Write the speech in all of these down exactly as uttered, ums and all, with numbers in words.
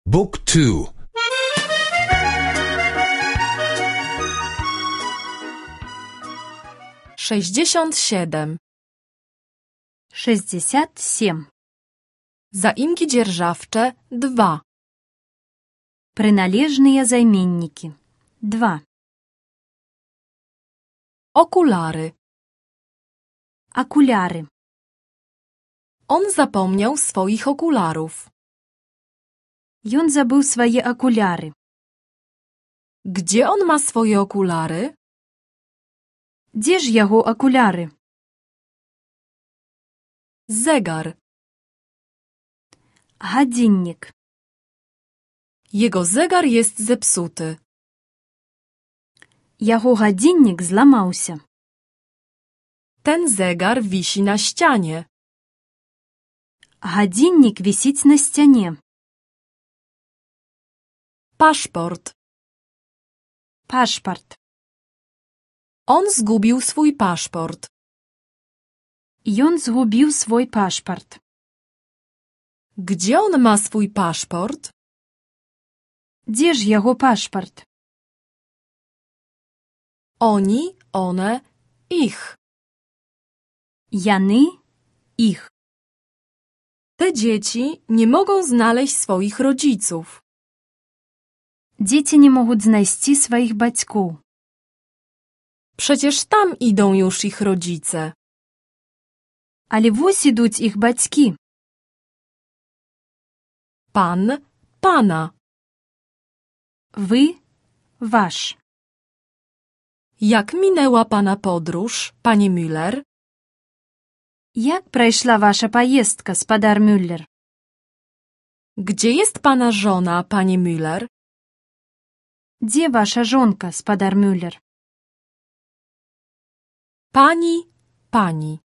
Book two. sześćdziesiąt siedem. шестьдесят семь. Zaimki dzierżawcze dwa. Przynależne zajmienniki dwa. Okulary. Okulary. On zapomniał swoich okularów. Ён забыў свае акуляры. Gdzie on ma swoje okulary? Дзе ж яго акуляры? Zegar. Гадзіннік. Jego zegar jest zepsuty. Яго гадзіннік зламаўся. Ten zegar wisi na ścianie. Гадзіннік вісіць на сцяне. Paszport. Пашпарт. On zgubił swój paszport. Ён згубіў свой пашпарт. Gdzie on ma swój paszport? Дзе ж яго пашпарт? Oni, one, ich. Яны, іх. Te dzieci nie mogą znaleźć swoich rodziców. Дзеці не могуць знайсці сваіх бацькоў. Przecież tam idą już ich rodzice. Але вось ідуць іх бацькі. Pan, pana. Вы, ваш. Jak minęła pana podróż, pani Müller? Як прайшла ваша паездка, спадар Мюллер? Gdzie jest pana żona, pani Müller? Дзе ваша жонка, спадар Мюллер? Pani, pani.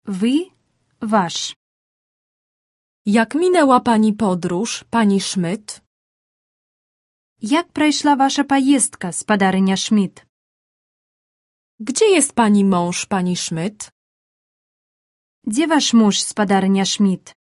Вы, ваш. Jak minęła pani podróż, pani Schmidt? Як прайшла ваша паездка, спадарыня Шмідт? Gdzie jest pani mąż, pani Schmidt? Дзе ваш муж, спадарыня Шмідт?